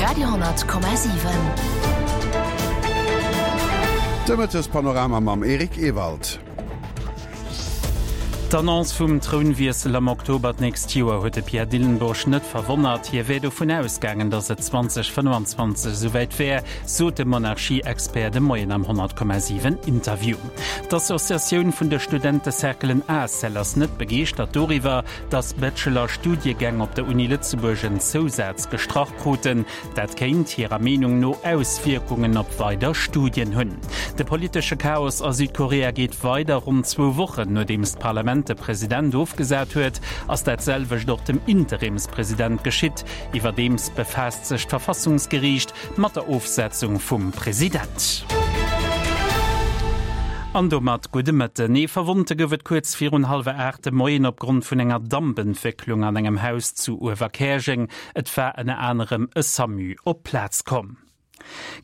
Radio,7. De Mëttespanorama mam Eric Ewald. D'Annonce vum Trounwiessel am Oktober d'nächst Joer huet de Pierre Dillenburg net verwonnert. Hie wär dovun ausgaangen, datt et 2025 esouwäit wär, sot de Monarchie-Expert de Moien am 100,7 Interview. D'Associatioun vun de Studentecerclen ACEL ass net begeeschtert doriwwer, datt Bachelor-Studiegäng op der Uni Lëtzebuerg en Zousaz gestrach kruten. Dat kéint hirer Meenung no Auswierkungen op weider Studien hunn. De politesche Chaos a Südkorea geet weider. Ronn zwou Wochen nodeems d'Parlament de President ofgesat huet, ass dat selwecht och dem Interimspresident geschitt. Iwwerdeems befaasst sech d'Verfassungsgeriicht mat der Ofsetzung vum President. An domat gudde Mëtten. Ee Verwonnte gouf et kuerz virun hallwer 8 de Moien opgrond vun enger Dampentwécklung an engem Haus zu Uewerkäerjeng. Et war ënner anerem e Samu op d'Plaz komm.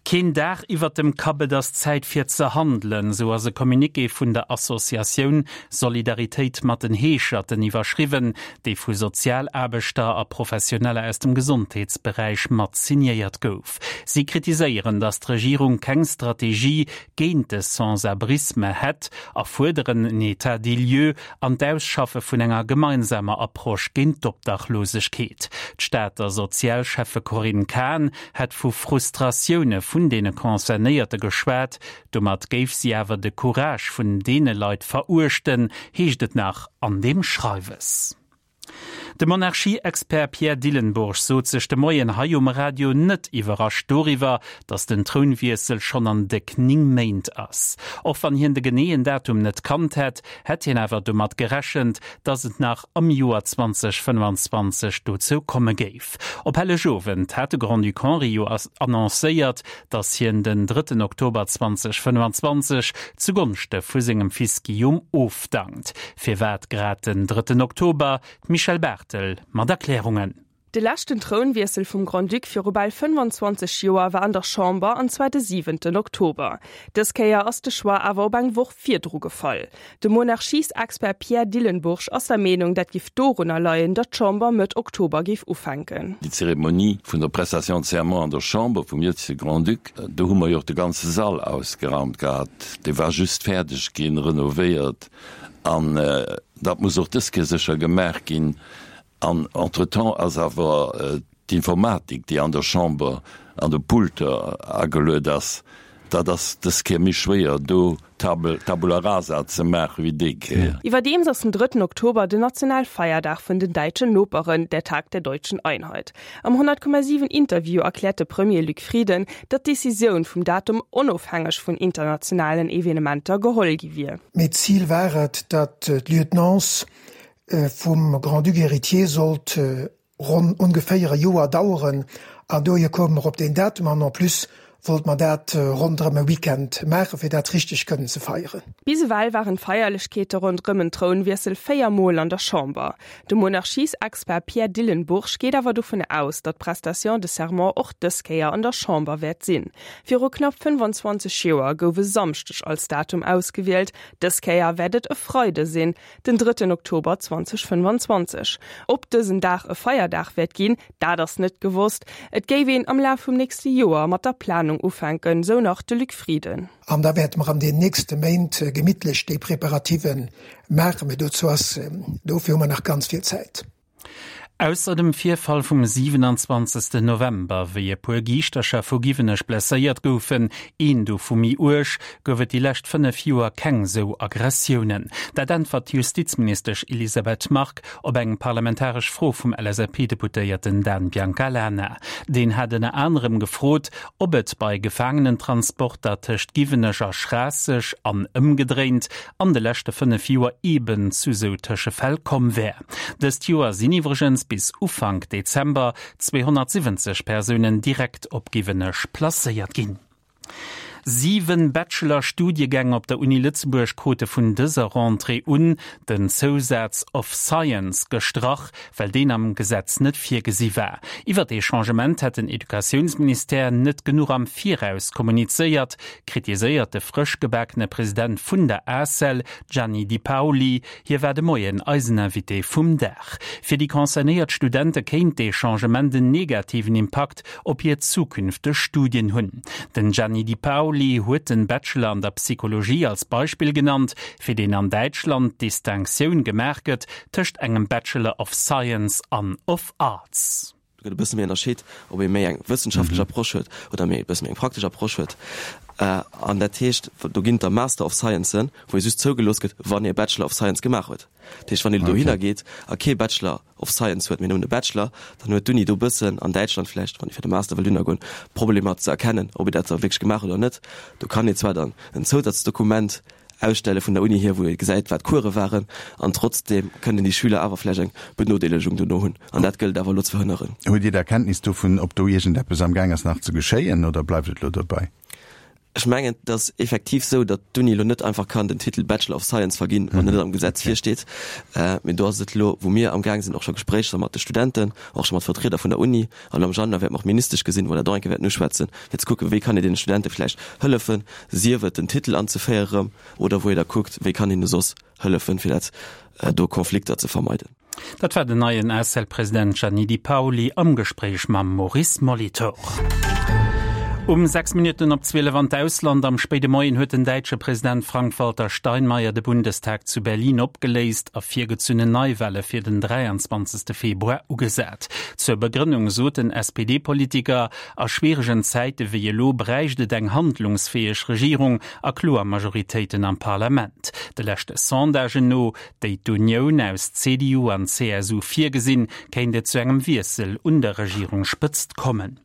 Keen Daach iwwert dem Kapp, et ass Zäit fir ze handelen, sou ass e Communiqué vun der Associatioun Solidaritéit mat den Heescherten iwwerschriwwen, dee vu Sozialaarbechter a Professioneller aus dem Gesondheetsberäich mat signéiert gouf. Si kritiséieren, datt d'Regierung keng Strategie géint de Sans-abrisme hätt a fuerderen en État des lieux an d'Ausschaffe vun enger gemeinsamer Approche géint d'Obdachlosegkeet. D'Stater Sozialschäffe Corinne Cahen hätt vu Frustratioune vun deene Concernéierte geschwat. Domat géif si awer de Courage vun deene Leit veruechten, heescht et nach an deem Schreiwes. De Monarchie-Expert Pierre Dillenburg sot sech de Moien hei um Radio net iwwerrascht doriwwer, datt den Trounwiessel schonn an déck 9 Méint ass. Och wann hien de geneeën Datum net kannt hätt, hätt hien awer domat gerechent, datt et nach am Joer 2025 dozou komme géif. Op Hellegowend hat de Grand-Duc Henri jo annoncéiert, datt hien den drëtten Oktober 2025 zu Gonschte vu sengem Fils Guillaume ofdankt. Firwat grad den drëtten Oktober? D'Michèle Barthel mat Erklärungen. De leschten Trounwiessel vum Grand-Duc viru bal 25 Joer war an der Chamber, an zwar de siwenten Oktober. Dës Kéier ass de Choix awer op eng Woch virdru gefall. De Monarchiesexpert Pierre Dillenburg ass der Meenung, dat giff dorunner leien, datt d'Chamber Mëtt Oktober géif ufänken. Déi Zeremonie vun der Prestation de serment an der Chamber vum jëtzege Grand-Duc, do hu mer jo och de ganze Sall ausgeraumt gehat, dee war just fäerdeg ginn, renovéiert, an dat muss och dës Kéier sécher gemaach ginn. An entretemps ass awer d'Informatik, déi an der Chamber an de Pulter ageluet ass, dat ass dës Kéier méi schwéier, do Tabula rasa ze maache wéi déi Kéier. Iwwerdeems ass den drëtten Oktober den Nationalfeierdag vun den däitschen Noperen, der Tag der deutschen Einheit. Am 100,7 Interview erkläert de Premier Luc Frieden, datt d'Decisioun vum Datum onofhängeg vun internationalen Evenementer geholl gi wier. Mee d'Zil war et, datt d'Lieutenance vum Grand-Duc héritier sollt ronn ongeféier e Joer daueren an dohier koume mer op deen Datum an en plus wollte mer dat ronderëm e Weekend maachen, fir dat richteg kënnen ze feieren. Bis ewell waren d'Feierlechkeete ronderëm en Trounwiessel 4 Mol an der Chamber. De Monarchiesexpert Pierre Dillenburg geet awer dovun aus, datt d'Prestation de serment och dës Kéier an der Chamber wäert sinn. Viru knapp 25 Joer gouf e Samschdeg als Datum ausgewielt, dës Kéier wäert et e Freide sinn, Den drëtten Oktober 2025. Ob dësen Dag e Feierdag wäert ginn, dat ass net gewosst. Et géif een am Laf vum nächste Joer mat der Planung ufänken, sou nach de Luc Frieden. An da wäerte mer an den nächste Méint gemittlech déi Preparative maachen. Mee dozou ass, dofir hu mer nach ganz vill Zäit. Ausser dem Virfall vum 27 November, wéi e puer Giischtercher vu Giwenech blesséiert goufen, een dovu méi uerg, gouf et déi lescht 5 Joer keng sou Aggressiounen. Dat äntwert d'Justizministesch Elisabeth Margue op eng parlamentaresch Fro vum LSAP-Deputéierten Dan Biancalana. Deen hat ënner anerem gefrot, ob et bei Gefaangenentransporter tëscht Giwenech a Schraasseg an ëmgedréint an de leschte 5 Joer eeben zu sou Tëschefäll komm wär. Dëst Joer sinn iwwregens bis Ufank Dezember 270 Persounen direkt op Giwenech placéiert ginn. 7 Bachelor-Studiegäng op der Uni Lëtzebuerg krute vun dëser Rentrée un den Zousaz of Science gestrach, well deen am Gesetz net virgesi war. Iwwer dee Changement hätt den Educatiounsministère net genuch am Viraus kommunizéiert, kritiséiert de frësch gebakene President vun der ACEL, Gianni Di Paoli. Hie war de Moien eisen Invité vum Dag. Fir déi concernéiert Studente kéint dee Changement en negativen Impakt op hir zukünfteg Studien hunn. Den Gianni Di Paoli huet den Bachelor an der Psychologie als Beispill genannt, fir deen an Däitschland d'Distinctioun gemaach gëtt tëscht engem Bachelor of Science an of Arts. Do gëtt e bësse méi ënnerscheet, ob ee méi eng wëssenschaftlech Approche huet oder méi e bësse méi eng praktesch Approche huet. An dat heescht, do ginn et da Master of Sciencen, wou ee just zougelooss gëtt, wann ee Bachelor of Science gemaach huet. Dat heescht, wann een dohinner geet a kee Bachelor of Science huet, mee nëmmen e Bachelor, dann huet d'Uni do e bëssen, an Däitschland vläicht, wann ee fir de Master wëll dohinner goen, Problemer ze erkennen, ob ee dat da wierklech gemaach huet oder net. Do kann ee zwar dann en Zousazdokument Ausstelle vun der Uni hier, wou ee gesäit, wat d'Course waren, an trotzdeem kënnen déi Schüler awer vläicht eng Benodeelegung dono hunn. An dat gëllt et awer elo ze verhënneren. Hutt Dir da Kenntnis dovun, ob do iergendeppes am Gaang ass nach ze geschéien, oder bleift et elo dobäi? Ech mengen, et ass effektiv esou, datt d'Uni elo net einfach kann den Titel Bachelor of Science verginn, wann en net am Gesetz virsteet. Mee do ass et elo, wou mir amgaang sinn, och scho Gespréicher mat de Studenten, och scho mat Vertrieder vun der Uni, An am Januar wäerte mer och d'Ministesch gesinn, wou mer dat och eng Kéier wäerten uschwätzen, fir ze kucken, wéi kann een deene Studente vläicht hëllefen, sief et den Titel anzeféiere rëm oder wou ee da kuckt, wéi kann een hinne soss hëllefen, fir dat do Konflikter ze vermeiden. Dat war den neien ACEL-President Gianni Di Paoli am Gespréich mam Maurice Molitor. Um 6 Minutten op 12 an d'Ausland. Am spéide Moien huet den däitsche President Frank-Walter Steinmeier de Bundestag zu Berlin opgeléist a virgezunnen Neiwale fir den 23. Februar ugesat. Zur Begrënnung sot den SPD-Politiker, A schwieregen Zäite wéi elo bräicht et eng handlungsfäeg Regierung a kloer Majoritéiten am Parlament. De leschte Sondagen no, déi d'Unioun aus CDU an CSU virgesinn, kéint et zu engem Wiessel un der Regierungsspëtzt kommen.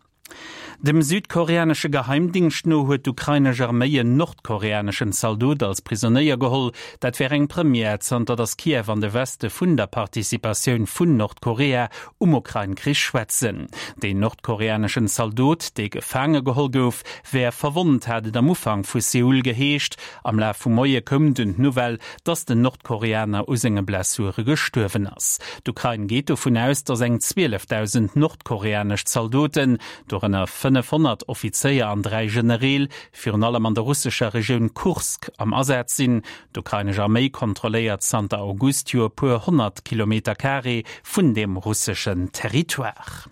Dem südkoreanesche Geheimdingscht no huet d'ukrainesch Arméi en nordkoreaneschen Zaldot als Prisonéier geholl. Dat wär eng Première, zanter datt Kiew an de Weste vun der Participatioun vun Nordkorea um Ukrain-Krich schwätzen. Deen nordkoreaneschen Zaldot, dee gefaange geholl gouf, wär verwonnt, hat et am Ufank vu Seoul geheescht. Am Laf vum Moie koum dunn d'Nouvelle, datt den Nordkoreaner u senge Blessure gestuerwen ass. D'Ukrain geet dovun aus, datt eng 12.000 nordkoreanesch Zaldoten, dorënner 500 Offizéier an 3 Genereel, virun allem an der russescher Regioun Kursk am Asaz sinn. D'ukrainesch Arméi kontrolléiert zanter August jo e puer 100 Kilometer-Carré vun deem russeschen Territoire.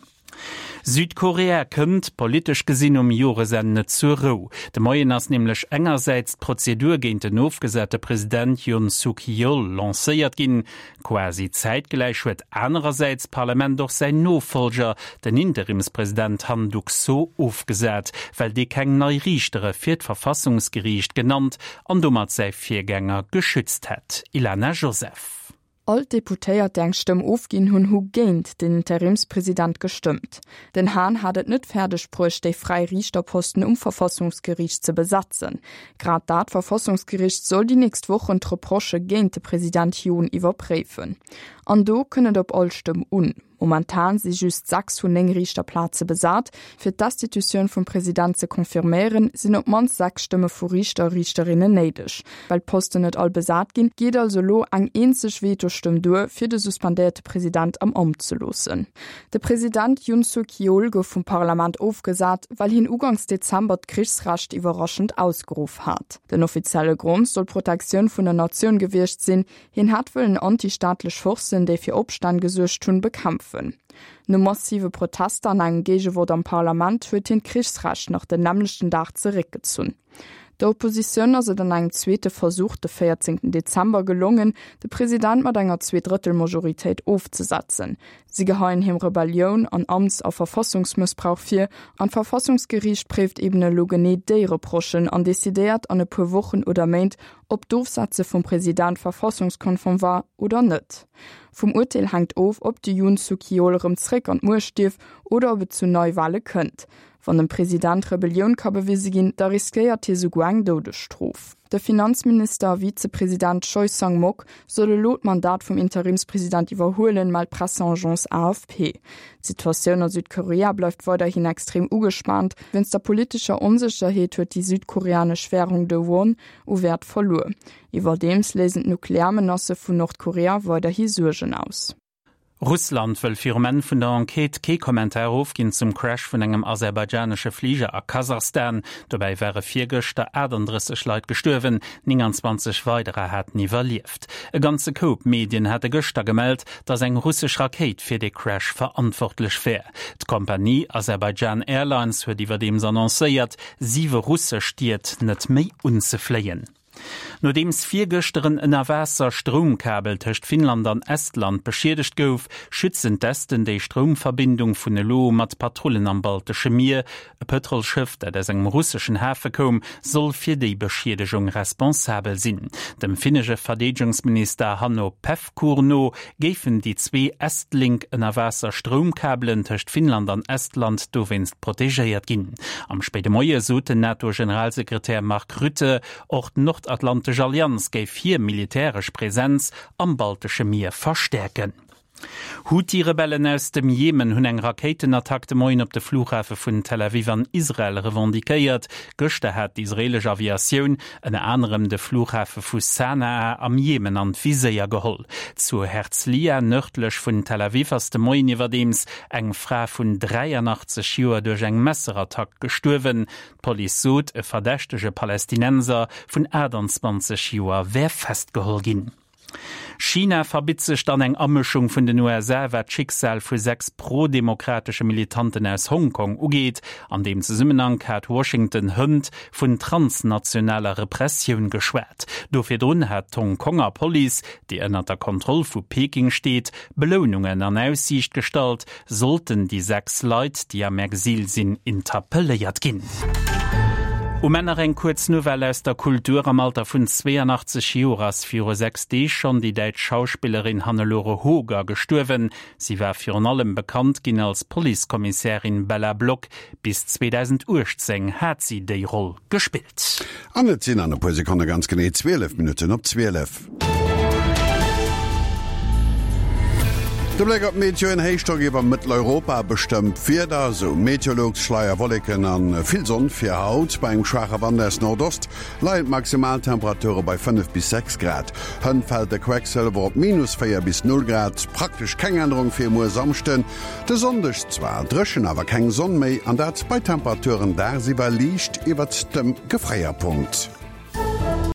Südkorea kënnt, politesch gesinn, um Joresenn net zur Rou. De Moien ass nämlech engersäits d'Prozedur géint den ofgesate President Yoon Suk Yeol lancéiert ginn. Quasi zäitgläich huet anerersäits d'Parlament och säin Nofollger, den Interimspresident Han Duck-soo, ofgesat, well dee keng nei Riichtere fir d'Verfassungsgeriicht genannt an domat säi Virgänger geschützt hätt. Ilana Joseph. All d'Deputéiert, déi eng Stëmm ofginn hunn, hu géint den Interimspresident gestëmmt. Den Hahn hat et net fäerdeg bruecht, déi fräi Riichterposten um Verfassungsgeriicht ze besetzen. Grad dat Verfassungsgeriicht soll déi nächst Wochen d'Reprochë géint de President Yoon iwwerpréifen. An do kënn et op all Stëmm un. Momentan si just 6 vun 9 Riichterplaze besat. Fir d'Destitutioun vum President ze confirméieren, sinn op d'mannst 6 Stëmme vu Riichter a Riichterinnen néideg. Well d'Posten net all besat ginn, geet also elo eng eenzeg Vetostëmm duer, fir de suspendéierte President am Amt ze loossen. De President Yoon Suk Yeol gouf vum Parlament ofgesat, well hien uganks Dezember d'Krichsrecht iwwerraschend ausgeruff hat. Den offizielle Grond soll d'Protektioun vun der Natioun gewiescht sinn, Hien hätt wëllen anti-staatlech Forcen, déi fir Opstänn gesuergt hunn, bekämpfen. No massive Protester an engem Géigevott am Parlament huet hien d'Krichsrecht nach den nämmlechten Dag zeréckgezunn. Der Oppositioun ass et an engem zweete Versuch de 14 Dezember gelongen, de President mat enger Zweedrëttelmajoritéit ofzesetzen. Si geheien him Rebellioun an Amts a Verfassungsmëssbrauch vir an d'Verfassungsgeriicht préift eben elo genee déi Reprochen an decidéiert an e puer Wochen oder Méint, ob d'Ofsetze vum President verfassungskonform war oder net. Vum Urteel hänkt of, ob de Yoon Suk Yeol erëm zréck an d'Muecht dierf oder ob et zu Neiwale kënnt. Wann dem President Rebellioun ka bewise ginn, da riskéiert hie souguer eng Doudesstrof. De Finanzminister a Vizepresident Choi Sang-mok soll elo d'Mandat vum Interimspresident iwwerhuelen, mellt d'Presseagence AFP. D'Situatioun a Südkorea bleift weiderhin extrem ugespaant. Wéinst der politescher Onsécherheet huet déi südkoreanesch Wärung, de Won, u Wäert verluer. Iwwerdeems léisen d'Nuklearmenacë vun Nordkorea weiderhi Suergen aus. Russland wëll virum Enn vun der Enquête kee Kommentar ofginn zum Crash vun engem aserbaidschanesche Fliger a Kasachstan. Dobäi ware virgëschter 38 Leit gestuerwen, 29 weiderer haten iwwerlieft. E ganze Koup Medien hate gëschter gemellt, datt eng russesch Rakéit fir dee Crash verantwortlech wär. D'Kompanie Azerbaijan Airlines huet iwwerdeems annoncéiert, siwe russesch Stied net méi unzefléien. Nodeems virgëschter en Ënnerwaasser-Stroumkabel tëscht Finnland an Estland beschiedegt gouf, schützen d'Esten déi Stroumverbindung vun elo u mat Patrullen am Baltesche Mier. E Pëtrolsschëff, dat aus engem russeschen Hafe koum, soll fir déi Beschiedegung responsabel sinn. Dem finnesche Verdeedegungsminister Hanno Pevkur no géifen déi zwee Estlink-Ënnerwaasser-Stroumkabelen tëscht Finnland an Estland dowéinst protegéiert ginn. Am spéide Moie sot den NATO-Generalsekretär Mark Rutte, och d'Nordatlantesch Allianz géif hir militäresch Presenz am Baltesche Mier verstäerken. Huthi-Rebellen aus dem Jemen hunn eng Rakéitenattack de Moien op de Flughafe vun Tel Aviv an Israel revendiquéiert. Gëschter hat d'israeelesch Aviatioun ënner anerem de Flughafe vu Sanaa am Jemen an d'Viséier geholl. Zu Herzliya, nërdlech vun Tel Aviv, ass de Moien iwwerdeems eng Fra vun 83 Joer duerch eng Messerattack gestuerwen. D'Police sot, e verdächtege Palästinenser vun 28 Joer wär festgeholl ginn. China verbitt sech dann eng Amëschung vun den USA, wat d'Schicksal vu 6 pro-demokratesche Militanten aus Hongkong ugeet. An deem Zesummenhank hat Washington hënt vun transnationaler Repressioun geschwat. Do virdrun hat d'Hongkonger Police, déi ënnert der Kontroll vu Peking steet, Belounungen an Aussiicht gestallt, Sollten déi 6 Leit, déi am Exil sinn, interpelléiert ginn. Um Enn nach eng kuerz Nouvelle aus der Kultur, Am Alter vun 82 Joer ass viru 6 Deeg schonn déi däitsch Schauspillerin Hannelore Hoger gestuerwen. Si war virun allem bekannt ginn als Policekommissärin Bella Block. Bis 2018 hat si déi Roll gespillt. An et sinn an e puer Sekonne ganz genee 12 Minutten op 12. De Bléck op d'Meteo, En Héichdrock iwwer Mëtteleuropa bestëmmt d'Wieder, esou Meteolux. Schleierwolleken a vill Sonn fir haut. Bei engem schwaache Wand aus Nordost leien d'Maximaltemperature bei 5 bis 6 Grad. Hënt fält de Quecksëlwer op minus 4 bis 0 Grad. Praktesch keng Ännerung fir muer Samschden. De Sonndeg zwar dréchen, awer keng Sonn méi, an dat bei Temperaturen dagsiwwer liicht iwwert dem Gefréierpunkt.